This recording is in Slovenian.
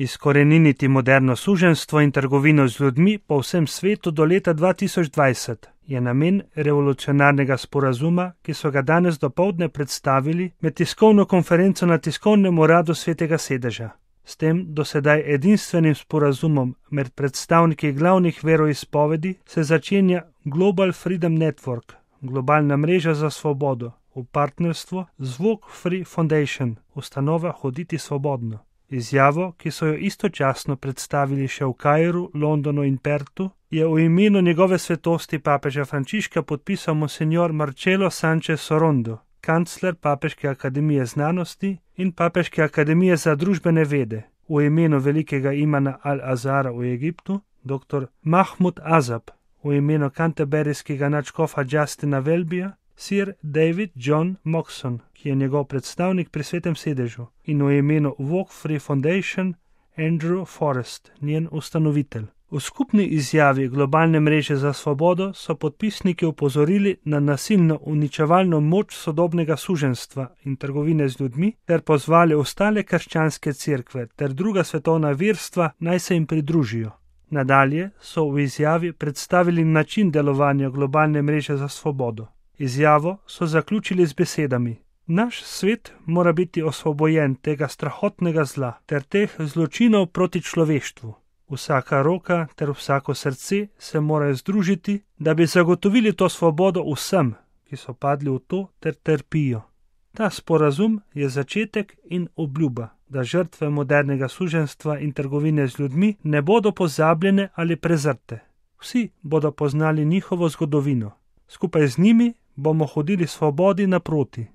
Izkoreniniti moderno suženjstvo in trgovino z ljudmi po vsem svetu do leta 2020 je namen revolucionarnega sporazuma, ki so ga danes dopoldne predstavili med tiskovno konferenco na tiskovnem uradu Svetega sedeža. S tem dosedaj edinstvenim sporazumom med predstavniki glavnih veroizpovedi se začenja Global Freedom Network, globalna mreža za svobodo, v partnerstvu z Walk Free Foundation, ustanova Hoditi svobodno. Izjavo, ki so jo istočasno predstavili še v Kairu, Londonu in Pertu, je v imenu njegove svetosti papeža Frančiška podpisal monsignor Marcelo Sánchez Sorondo, kancler Papeške akademije znanosti in Papeške akademije za družbene vede, v imenu velikega imana Al-Azhara v Egiptu, dr. Mahmud Azab, v imenu kanterberijskega nadškofa Justina Welbyja, Sir David John Moxon, ki je njegov predstavnik pri Svetem sedežu, in v imenu Walk Free Foundation Andrew Forrest, njen ustanovitelj. V skupni izjavi globalne mreže za svobodo so podpisniki opozorili na nasilno uničevalno moč sodobnega suženjstva in trgovine z ljudmi ter pozvali ostale krščanske cerkve ter druga svetovna verstva naj se jim pridružijo. Nadalje so v izjavi predstavili način delovanja globalne mreže za svobodo. Izjavo so zaključili z besedami: Naš svet mora biti osvobojen tega strahotnega zla ter teh zločinov proti človeštvu. Vsaka roka ter vsako srce se morajo združiti, da bi zagotovili to svobodo vsem, ki so padli v to ter trpijo. Ta sporazum je začetek in obljuba, da žrtve modernega suženjstva in trgovine z ljudmi ne bodo pozabljene ali prezrte. Vsi bodo poznali njihovo zgodovino. Skupaj z njimi bomo hodili svobodi naproti.